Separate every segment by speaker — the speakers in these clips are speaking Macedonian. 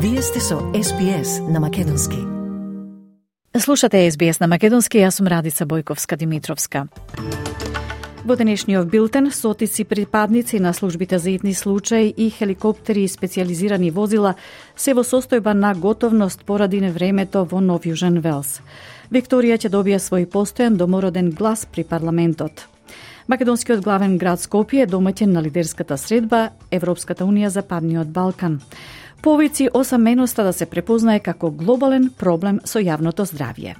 Speaker 1: Вие сте со SBS на Македонски.
Speaker 2: Слушате SBS на Македонски, јас сум Радица Бојковска-Димитровска. Во денешниот билтен, стотици припадници на службите за итни случаи и хеликоптери и специализирани возила се во состојба на готовност поради невремето во Нов Јужен Велс. Викторија ќе добија свој постојан домороден глас при парламентот. Македонскиот главен град Скопје е домаќин на лидерската средба Европската унија за Падниот Балкан. Повици осаменоста да се препознае како глобален проблем со јавното здравје.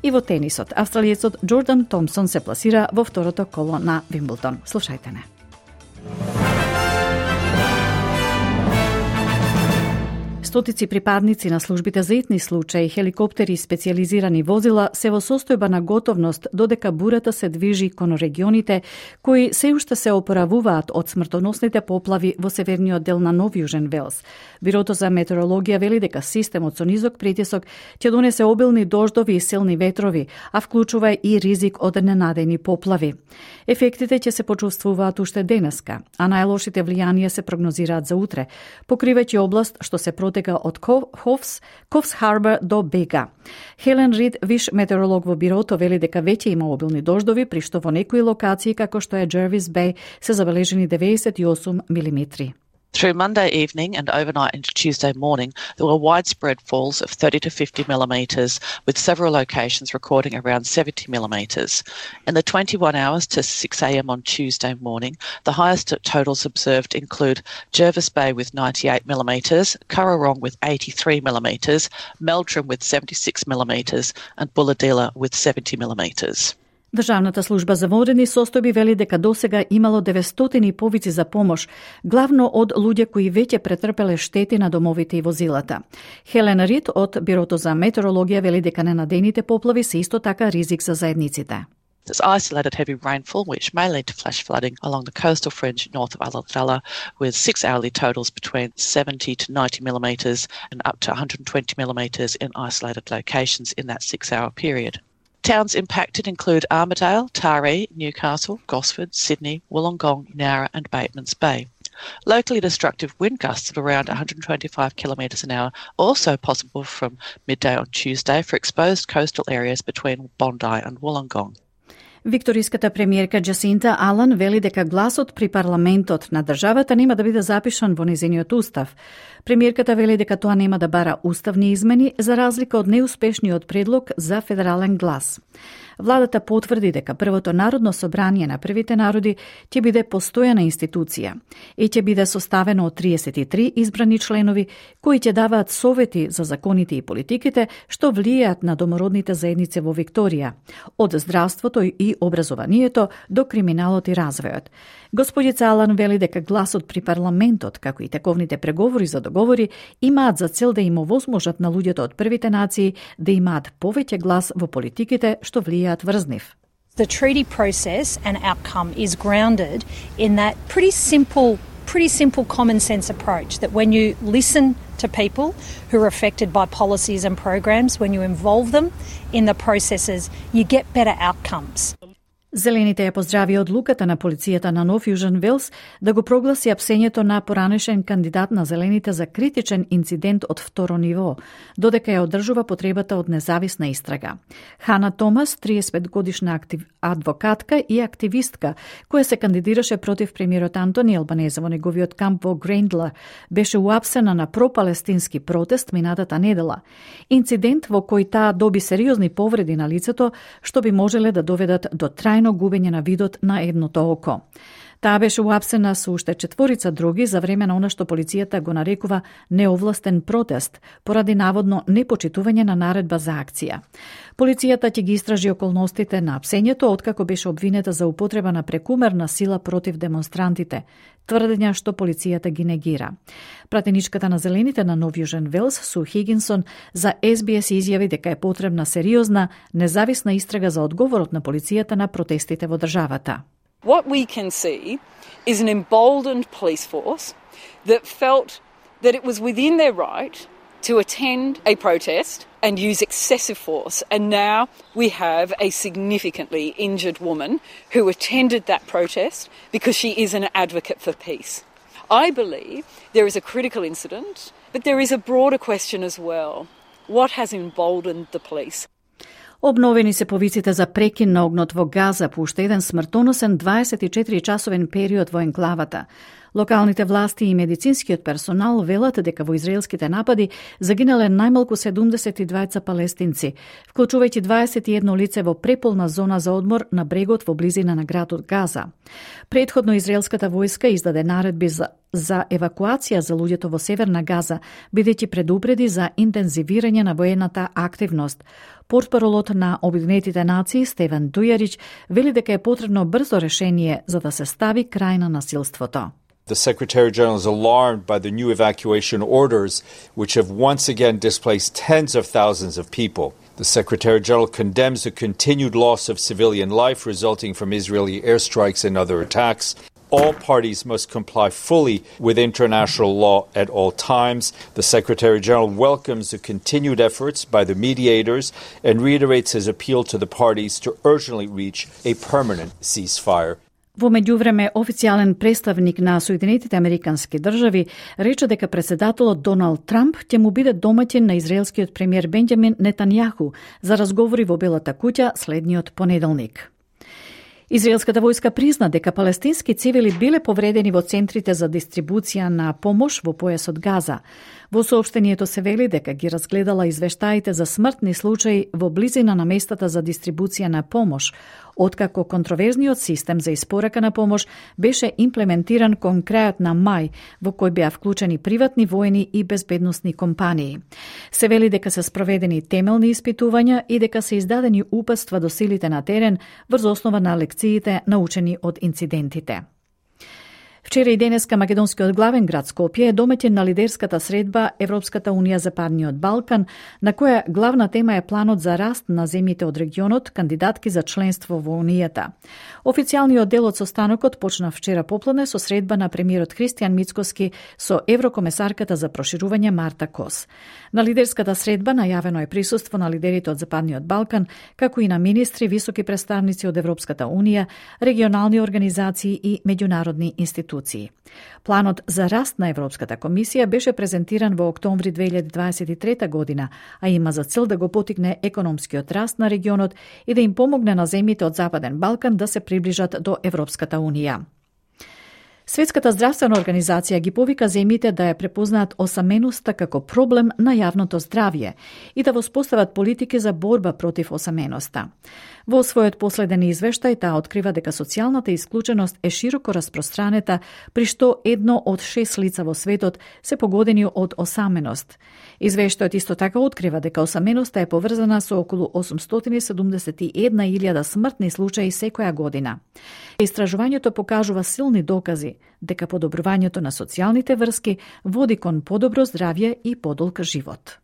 Speaker 2: И во тенисот, австралиецот Джордан Томсон се пласира во второто коло на Вимблдон. Слушајте не. Стотици припадници на службите за итни случаи, хеликоптери и специализирани возила се во состојба на готовност додека бурата се движи кон регионите кои се уште се опоравуваат од смртоносните поплави во северниот дел на Нов Јужен Велс. Бирото за метеорологија вели дека системот со низок притисок ќе донесе обилни дождови и силни ветрови, а вклучува и ризик од ненадени поплави. Ефектите ќе се почувствуваат уште денеска, а најлошите влијанија се прогнозираат за утре, покривајќи област што се протега од Ковс Харбор до Бега. Хелен Рид, виш метеоролог во бирото, вели дека веќе има обилни дождови, при што во некои локации, како што е Jervis Bay, се забележени 98 милиметри.
Speaker 3: Through Monday evening and overnight into Tuesday morning, there were widespread falls of 30 to 50 millimetres, with several locations recording around 70 millimetres. In the 21 hours to 6 a.m. on Tuesday morning, the highest totals observed include Jervis Bay with 98 millimetres, Currarong with 83 millimetres, Meldrum with 76 millimetres, and Bulahdelah with 70 millimetres.
Speaker 2: Државната служба за водени состојби вели дека досега имало 900 повици за помош, главно од луѓе кои веќе претрпеле штети на домовите и возилата. Хелен Рид од Бирото за метеорологија вели дека ненадените поплави се исто така ризик за заедниците.
Speaker 3: There's isolated heavy rainfall, which may lead to flash flooding along the coastal fringe north of Ulladulla, with 6 hourly totals between 70 to 90 millimetres and up to 120 millimetres in isolated locations in that 6-hour period. Towns impacted include Armidale, Taree, Newcastle, Gosford, Sydney, Wollongong, Nowra and Batemans Bay. Locally destructive wind gusts of around 125 kilometres an hour also possible from midday on Tuesday for exposed coastal areas between Bondi and Wollongong.
Speaker 2: Викториската премиерка Джасинта Алан вели дека гласот при парламентот на државата нема да биде запишан во незиниот устав. Премиерката вели дека тоа нема да бара уставни измени за разлика од неуспешниот предлог за федерален глас. Владата потврди дека првото народно собрание на првите народи ќе биде постојана институција и ќе биде составено од 33 избрани членови кои ќе даваат совети за законите и политиките што влијаат на домородните заедници во Викторија, од здравството и образованието до криминалот и развојот. Господица Алан вели дека гласот при парламентот, како и тековните преговори за договори, имаат за цел да им овозможат на луѓето од првите нации да имаат повеќе глас во политиките што влијаат врз нив.
Speaker 4: The treaty process and outcome is grounded in that pretty simple common sense approach that when you listen to people who are affected by policies and programs, when you involve them in the processes, you get better outcomes.
Speaker 2: Зелените ја поздрави одлуката на полицијата на Нов Јужен Велс да го прогласи апсењето на поранешен кандидат на Зелените за критичен инцидент од второ ниво, додека ја одржува потребата од независна истрага. Хана Томас, 35 годишна адвокатка и активистка, која се кандидираше против премиерот Антони Албанезе во неговиот камп во Грейндла, беше уапсена на пропалестински протест минатата недела. Инцидент во кој таа доби сериозни повреди на лицето, што би можеле да доведат до трајно губење на видот на едното око. Таа беше уапсена со уште 4 други за време на она што полицијата го нарекува неовластен протест, поради наводно непочитување на наредба за акција. Полицијата ќе ги истражи околностите на апсењето откако беше обвинета за употреба на прекумерна сила против демонстрантите, тврдења што полицијата ги негира. Пратеничката на Зелените на Нов Јужен Велс, Су Хигинсон, за SBS изјави дека е потребна сериозна, независна истрага за одговорот на полицијата на протестите во државата.
Speaker 5: What we can see is an emboldened police force that felt that it was within their right to attend a protest and use excessive force. And now we have a significantly injured woman who attended that protest because she is an advocate for peace. I believe there is a critical incident But there is a broader question as well. What has emboldened the police?
Speaker 2: Обновени се повиците за прекин на огнот во Газа по уште еден смртоносен 24-часовен период во енклавата. Локалните власти и медицинскиот персонал велат дека во израелските напади загинале најмалку 72 палестинци, вклучувајќи 21 лице во преполна зона за одмор на брегот во близина на градот Газа. Претходно израелската војска издаде наредби за евакуација за луѓето во северна Газа, бидејќи предупреди за интензивирање на воената активност. Портпаролот на Обединетите нации Стефан Дујарич вели дека е потребно брзо решение за да се стави крај на насилството.
Speaker 6: The Secretary General is alarmed by the new evacuation orders, which have once again displaced tens of thousands of people. The Secretary General condemns the continued loss of civilian life resulting from Israeli airstrikes and other attacks. All parties must comply fully with international law at all times. The Secretary General welcomes the continued efforts by the mediators and reiterates his appeal to the parties to urgently reach a permanent ceasefire.
Speaker 2: Во меѓувреме, официјален представник на Соединетите Американски држави рече дека председателот Доналд Трамп ќе му биде домаќин на израелскиот премиер Бенџамин Нетањаху за разговори во Белата куќа следниот понеделник. Израелската војска призна дека палестински цивили биле повредени во центрите за дистрибуција на помош во појасот Газа. Во соопштението се вели дека ги разгледала извештаите за смртни случаи во близина на местата за дистрибуција на помош, откако контроверзниот систем за испорака на помош беше имплементиран кон крајот на мај, во кој беа вклучени приватни воени и безбедносни компании. Се вели дека се спроведени темелни испитувања и дека се издадени упатства до силите на терен врз основа на лекциите научени од инцидентите. Вчера и денеска македонскиот главен град Скопје е домаќин на лидерската средба Европската унија за Западниот Балкан, на која главна тема е планот за раст на земјите од регионот, кандидатки за членство во Унијата. Официјалниот дел од состанокот почна вчера попладне со средба на премиерот Христијан Мицкоски со еврокомесарката за проширување Марта Кос. На лидерската средба најавено е присуство на лидерите од Западниот Балкан, како и на министри, високи представници од Европската унија, регионални организации и меѓународни институции. Планот за раст на Европската комисија беше презентиран во октомври 2023 година, а има за цел да го потикне економскиот раст на регионот и да им помогне на земјите од Западен Балкан да се приближат до Европската унија. Светската здравствена организација ги повика земјите да ја препознаат осаменоста како проблем на јавното здравје и да воспостават политики за борба против осаменоста. Во својот последен извештај таа открива дека социјалната исклученост е широко распространета, при што 1 од 6 лица во светот се погодени од осаменост. Извештајот исто така открива дека осаменоста е поврзана со околу 871.000 смртни случаи секоја година. Истражувањето покажува силни докази дека подобрувањето на социјалните врски води кон подобро здравје и подолг живот.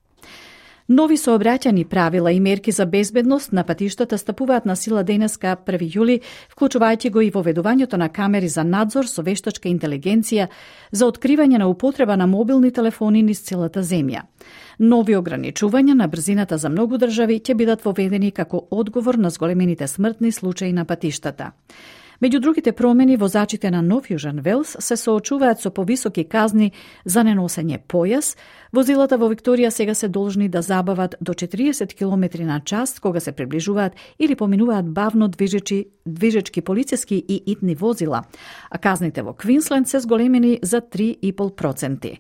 Speaker 2: Нови сообраќајни правила и мерки за безбедност на патиштата стапуваат на сила денеска 1 јули, вклучувајќи го и воведувањето на камери за надзор со вештачка интелигенција за откривање на употреба на мобилни телефони низ целата земја. Нови ограничувања на брзината за многу држави ќе бидат воведени како одговор на зголемените смртни случаи на патиштата. Меѓу другите промени, возачите на Нов Јужен Велс се соочуваат со повисоки казни за неносење појас. Возилата во Викторија сега се должни да забават до 40 км на час кога се приближуваат или поминуваат бавно движечки полициски и итни возила, а казните во Квинсленд се зголемени за 3,5%.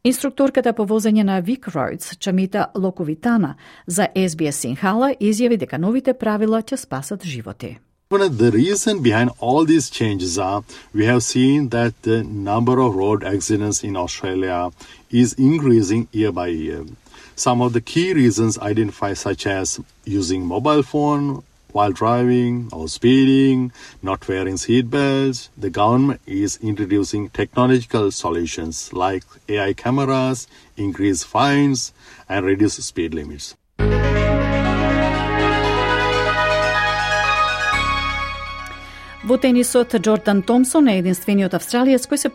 Speaker 2: Инструкторката по возење на Вик Роудс, Чамита Локовитана, за SBS Синхала изјави дека новите правила ќе спасат животи.
Speaker 7: The reason behind all these changes are we have seen that the number of road accidents in Australia is increasing year by year. Some of the key reasons identified such as using mobile phone while driving or speeding, not wearing seat belts. The government is introducing technological solutions like AI cameras, increased fines and reduced speed limits.
Speaker 2: Во тенисот, Джордан Томсон е единствениот австралиец кој се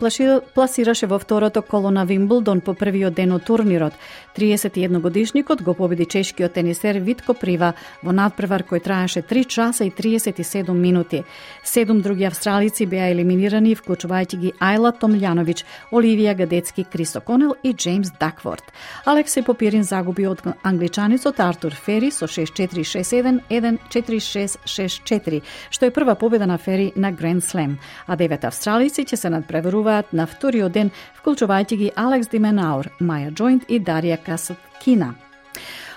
Speaker 2: пласираше во второто коло на Вимблдон по првиот ден од турнирот. 31-годишникот го победи чешкиот тенисер Витко Прива во надпревар кој траеше 3 часа и 37 минути. 7 други австралици беа елиминирани, вклучувајќи ги Ајла Томљановиќ, Оливија Гадецки, Крис Оконел и Джеймс Дакворд. Алекси Попирин загуби од англичаницот Артур Фери со 6-4, 6-1, 1-4, 6-6-4, што е прва победа на Фери на Гранд Слем, а 9 австралици ќе се надпреваруваат на вториот ден, вклучувајќи ги Алекс Дименаур, Маја Джойнт и Дарија Касаткина.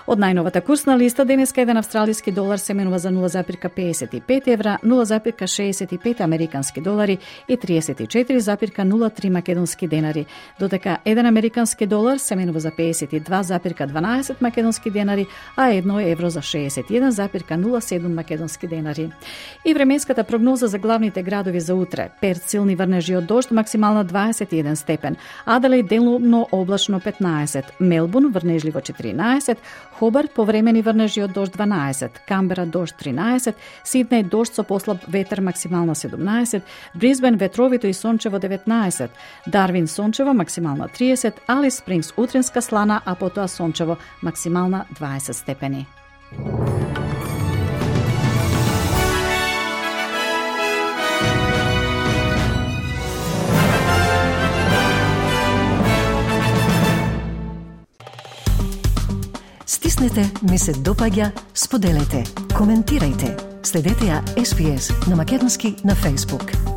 Speaker 2: Од најновата курсна листа, денеска еден австралиски долар се менува за 0,55 евра, 0,65 американски долари и 34,03 македонски денари, додека еден американски долар се менува за 52,12 македонски денари, а 1 евро за 61,07 македонски денари. И временската прогноза за главните градови за утре: Перт силни врнежи од дожд, максимална 21 степен, Аделаид делумно облачно 15, Мелбурн врнежливо 14, Хобарт повремени врнежи од дожд 12, Камбера дожд 13, Сиднеј дожд со послаб ветер максимална 17, Брисбен ветровито и сончево 19, Дарвин сончево максимална 30, Алис Спрингс утринска слана, а потоа сончево максимална 20 степени.
Speaker 1: Стиснете, ми се допаѓа, споделете, коментирајте. Следете ја SPS на Македонски на Facebook.